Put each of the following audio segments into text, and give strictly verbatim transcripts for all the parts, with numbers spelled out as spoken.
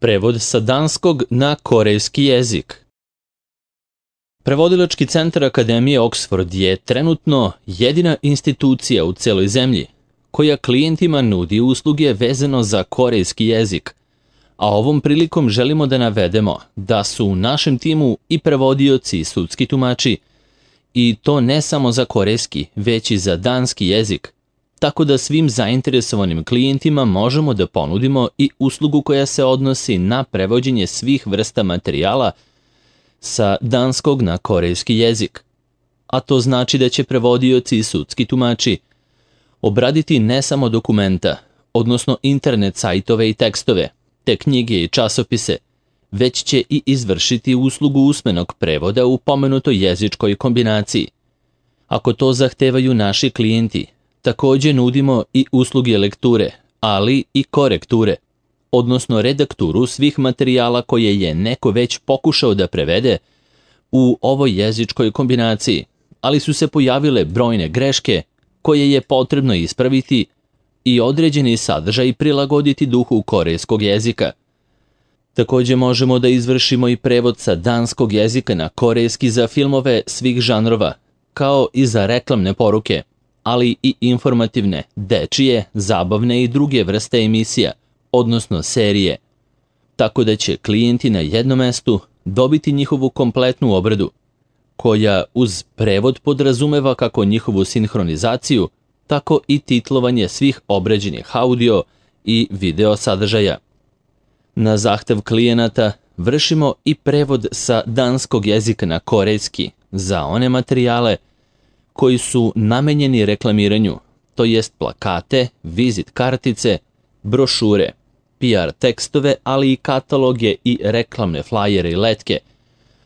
Prevod sa danskog na korejski jezik. Prevodilački centar Akademije Oxford je trenutno jedina institucija u celoj zemlji koja klijentima nudi usluge vezano za korejski jezik, a ovom prilikom želimo da navedemo da su u našem timu i prevodioci i sudski tumači, i to ne samo za korejski, već i za danski jezik, tako da svim zainteresovanim klijentima možemo da ponudimo i uslugu koja se odnosi na prevođenje svih vrsta materijala sa danskog na korejski jezik. A to znači da će prevodioci i sudski tumači obraditi ne samo dokumenta, odnosno internet sajtove i tekstove, te knjige i časopise, već će i izvršiti uslugu usmenog prevoda u pomenutoj jezičkoj kombinaciji. Ako to zahtevaju naši klijenti, također nudimo i usluge lekture, ali i korekture, odnosno redakturu svih materijala koje je neko već pokušao da prevede u ovoj jezičkoj kombinaciji, ali su se pojavile brojne greške koje je potrebno ispraviti i određeni sadržaj prilagoditi duhu korejskog jezika. Također možemo da izvršimo i prevod sa danskog jezika na korejski za filmove svih žanrova, kao i za reklamne poruke, ali i informativne, dečije, zabavne i druge vrste emisija, odnosno serije, tako da će klijenti na jednom mestu dobiti njihovu kompletnu obradu, koja uz prevod podrazumeva kako njihovu sinhronizaciju, tako i titlovanje svih obrađenih audio i video sadržaja. Na zahtev klijenata vršimo i prevod sa danskog jezika na korejski za one materijale koji su namenjeni reklamiranju, to jest plakate, vizit kartice, brošure, P R tekstove, ali i kataloge i reklamne flajere i letke,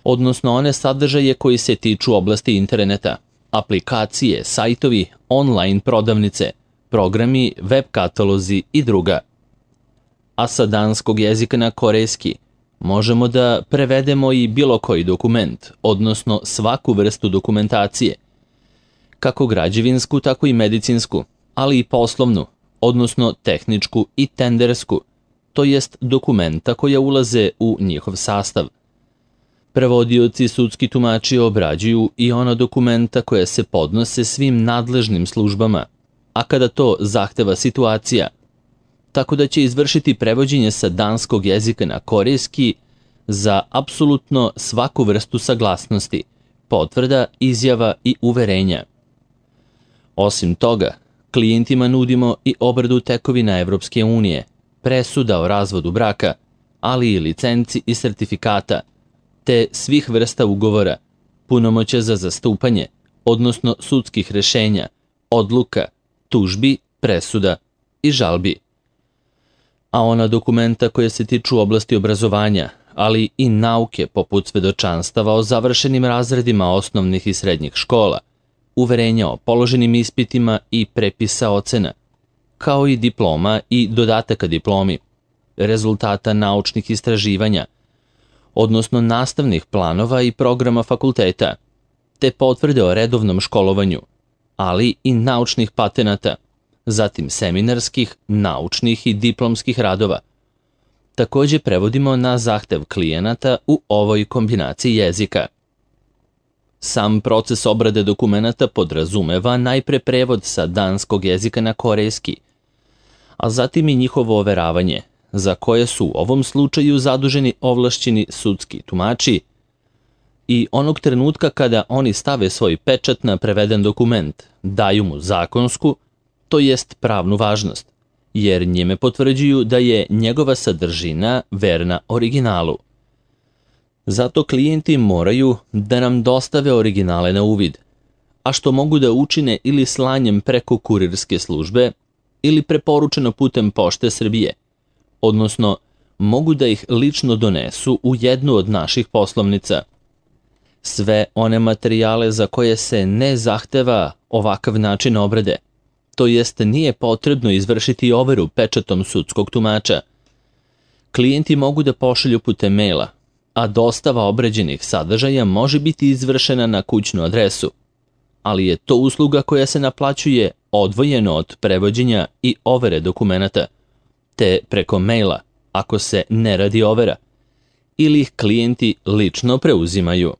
odnosno one sadržaje koji se tiču oblasti interneta, aplikacije, sajtovi, online prodavnice, programi, web katalozi i druga. A sa danskog jezika na korejski možemo da prevedemo i bilo koji dokument, odnosno svaku vrstu dokumentacije, kako građevinsku, tako i medicinsku, ali i poslovnu, odnosno tehničku i tendersku, to jest dokumenta koja ulaze u njihov sastav. Prevodioci i sudski tumači obrađuju i ona dokumenta koja se podnose svim nadležnim službama, a kada to zahteva situacija, tako da će izvršiti prevođenje sa danskog jezika na korejski za apsolutno svaku vrstu saglasnosti, potvrda, izjava i uverenja. Osim toga, klijentima nudimo i obradu tekovina Evropske unije, presuda o razvodu braka, ali i licenci i sertifikata, te svih vrsta ugovora, punomoćja za zastupanje, odnosno sudskih rešenja, odluka, tužbi, presuda i žalbi. A ona dokumenta koja se tiču oblasti obrazovanja, ali i nauke poput svedočanstava o završenim razredima osnovnih i srednjih škola, uverenja o položenim ispitima i prepisa ocena, kao i diploma i dodataka diplomi, rezultata naučnih istraživanja, odnosno nastavnih planova i programa fakulteta, te potvrde o redovnom školovanju, ali i naučnih patenata, zatim seminarskih, naučnih i diplomskih radova. Također prevodimo na zahtev klijenata u ovoj kombinaciji jezika. Sam proces obrade dokumenata podrazumeva najpre prevod sa danskog jezika na korejski, a zatim i njihovo overavanje, za koje su u ovom slučaju zaduženi ovlašćeni sudski tumači, i onog trenutka kada oni stave svoj pečat na preveden dokument, daju mu zakonsku, to jest pravnu važnost, jer njime potvrđuju da je njegova sadržina verna originalu. Zato klijenti moraju da nam dostave originale na uvid, a što mogu da učine ili slanjem preko kurirske službe ili preporučeno putem Pošte Srbije, odnosno mogu da ih lično donesu u jednu od naših poslovnica. Sve one materijale za koje se ne zahteva ovakav način obrade, to jest nije potrebno izvršiti overu pečatom sudskog tumača, klijenti mogu da pošalju putem maila, a dostava obrađenih sadržaja može biti izvršena na kućnu adresu, ali je to usluga koja se naplaćuje odvojeno od prevođenja i overe dokumenata, te preko maila, ako se ne radi overa, ili ih klijenti lično preuzimaju.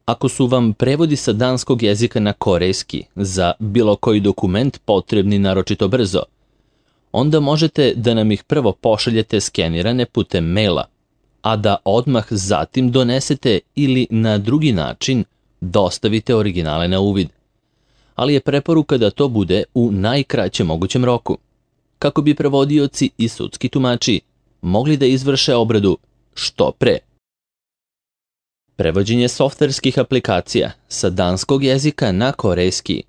Ako su vam prevodi sa danskog jezika na korejski za bilo koji dokument potrebni naročito brzo, onda možete da nam ih prvo pošaljete skenirane putem maila, a da odmah zatim donesete ili na drugi način dostavite originale na uvid. Ali je preporuka da to bude u najkraćem mogućem roku, kako bi prevodioci i sudski tumači mogli da izvrše obradu što pre. Prevođenje softverskih aplikacija sa danskog jezika na korejski.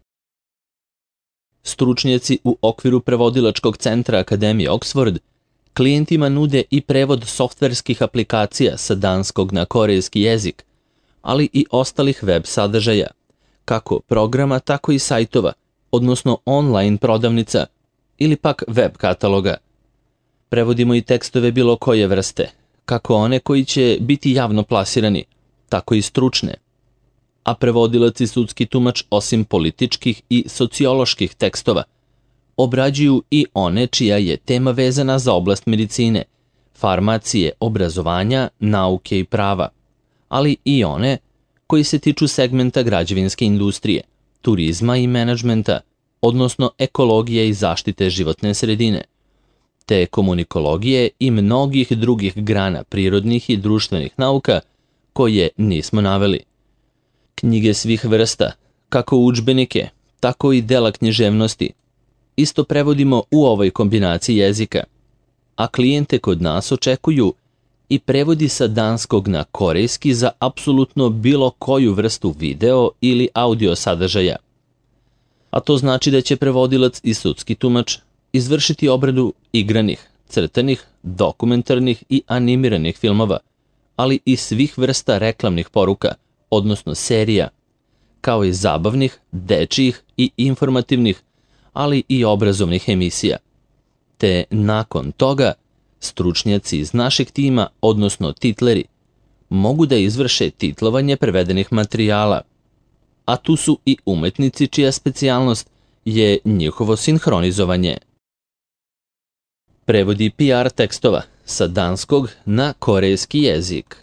Stručnjaci u okviru prevodilačkog centra Akademije Oxford klijentima nude i prevod softverskih aplikacija sa danskog na korejski jezik, ali i ostalih web sadržaja, kako programa, tako i sajtova, odnosno online prodavnica ili pak web kataloga. Prevodimo i tekstove bilo koje vrste, kako one koji će biti javno plasirani, tako i stručne. A prevodilac i sudski tumač, osim političkih i socioloških tekstova, obrađuju i one čija je tema vezana za oblast medicine, farmacije, obrazovanja, nauke i prava, ali i one koji se tiču segmenta građevinske industrije, turizma i menadžmenta, odnosno ekologije i zaštite životne sredine, te komunikologije i mnogih drugih grana prirodnih i društvenih nauka koje nismo naveli. Knjige svih vrsta, kako udžbenike, tako i dela književnosti, isto prevodimo u ovoj kombinaciji jezika, a klijente kod nas očekuju i prevodi sa danskog na korejski za apsolutno bilo koju vrstu video ili audio sadržaja. A to znači da će prevodilac i sudski tumač izvršiti obradu igranih, crtanih, dokumentarnih i animiranih filmova, ali i svih vrsta reklamnih poruka, odnosno serija, kao i zabavnih, dečijih i informativnih, ali i obrazovnih emisija. Te nakon toga stručnjaci iz našeg tima, odnosno titleri, mogu da izvrše titlovanje prevedenih materijala, a tu su i umetnici čija specijalnost je njihovo sinhronizovanje. Prevodi P R tekstova sa danskog na korejski jezik.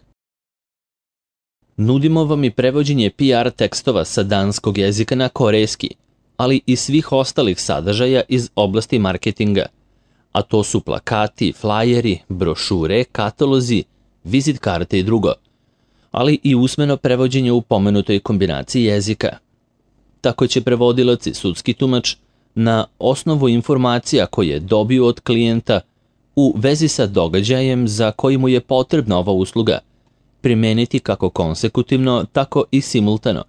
Nudimo vam i prevođenje P R tekstova sa danskog jezika na korejski, ali i svih ostalih sadržaja iz oblasti marketinga, a to su plakati, flajeri, brošure, katalozi, vizit karte i drugo, ali i usmeno prevođenje u pomenutoj kombinaciji jezika. Tako će prevodilac i sudski tumač na osnovu informacija koje dobiju od klijenta u vezi sa događajem za koji mu je potrebna ova usluga primeniti kako konsekutivno, tako i simultano,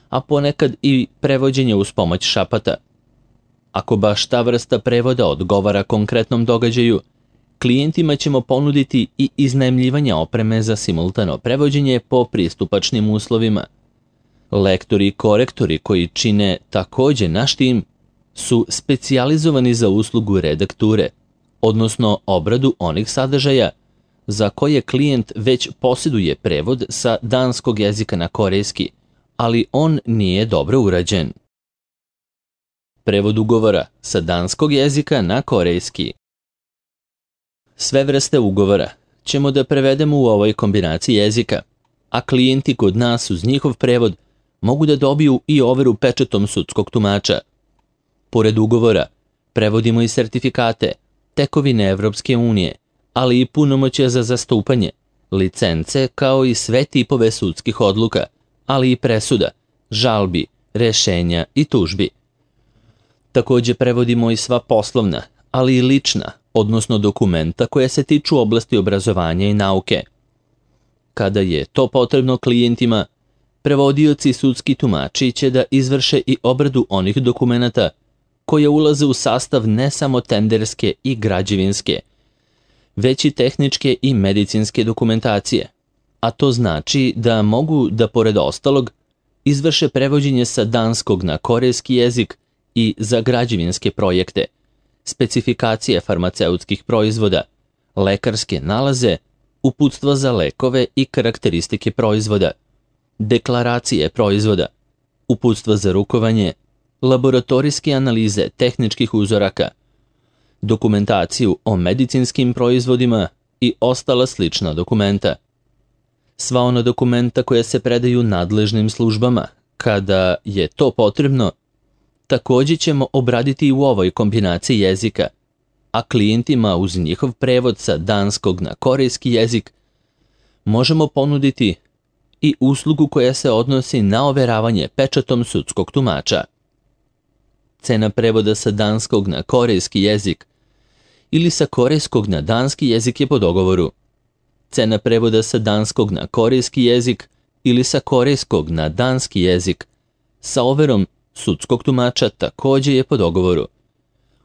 a ponekad i prevođenje uz pomoć šapata. Ako baš ta vrsta prevoda odgovara konkretnom događaju, klijentima ćemo ponuditi i iznajmljivanje opreme za simultano prevođenje po pristupačnim uslovima. Lektori i korektori koji čine takođe naš tim su specijalizovani za uslugu redakture, odnosno obradu onih sadržaja za koje klijent već posjeduje prevod sa danskog jezika na korejski, ali on nije dobro urađen. Prevod ugovora sa danskog jezika na korejski. Sve vrste ugovora ćemo da prevedemo u ovoj kombinaciji jezika, a klijenti kod nas uz njihov prevod mogu da dobiju i overu pečatom sudskog tumača. Pored ugovora, prevodimo i sertifikate, tekovine Evropske unije, ali i punomoćja za zastupanje, licence kao i sve tipove sudskih odluka, ali i presuda, žalbi, rešenja i tužbi. Takođe prevodimo i sva poslovna, ali i lična, odnosno dokumenta koja se tiču oblasti obrazovanja i nauke. Kada je to potrebno klijentima, prevodioci i sudski tumači će da izvrše i obradu onih dokumenata koje ulaze u sastav ne samo tenderske i građevinske, već i tehničke i medicinske dokumentacije, a to znači da mogu da pored ostalog izvrše prevođenje sa danskog na korejski jezik i za građevinske projekte, specifikacije farmaceutskih proizvoda, lekarske nalaze, uputstva za lekove i karakteristike proizvoda, deklaracije proizvoda, uputstva za rukovanje, laboratorijske analize tehničkih uzoraka, dokumentaciju o medicinskim proizvodima i ostala slična dokumenta. Sva ona dokumenta koja se predaju nadležnim službama, kada je to potrebno, također ćemo obraditi i u ovoj kombinaciji jezika, a klijentima uz njihov prevod sa danskog na korejski jezik možemo ponuditi i uslugu koja se odnosi na overavanje pečatom sudskog tumača. Cena prevoda sa danskog na korejski jezik ili sa korejskog na danski jezik je po dogovoru. Cena prevoda sa danskog na korejski jezik ili sa korejskog na danski jezik sa overom sudskog tumača također je po dogovoru.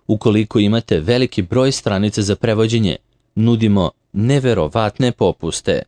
Ukoliko imate veliki broj stranica za prevođenje, nudimo neverovatne popuste.